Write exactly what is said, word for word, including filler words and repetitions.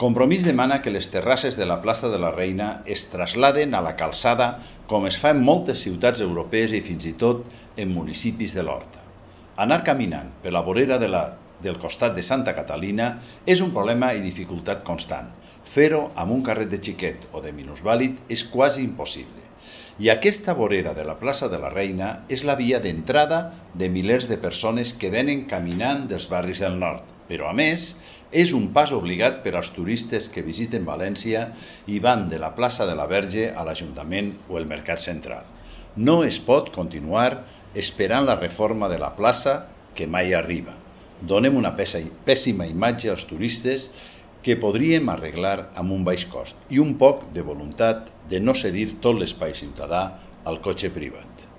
Compromís demana que les terrasses de la plaça de la Reina es trasladen a la calçada com es fa en moltes ciutats europees i fins i tot en municipis de l'Horta. Anar caminant per la vorera de la, del costat de Santa Catalina és un problema i dificultat constant. Fer-ho amb un carret de xiquet o de minusvàlid és quasi impossible. I aquesta vorera de la plaça de la Reina és la via d'entrada de milers de persones que venen caminant dels barris del nord, però a més és un pas obligat per als turistes que visiten València i van de la plaça de la Verge a l'Ajuntament o el Mercat Central. No es pot continuar esperant la reforma de la plaça que mai arriba. Donem una pèssima imatge als turistes que podríem arreglar amb un baix cost i un poc de voluntat de no cedir tot l'espai ciutadà al cotxe privat.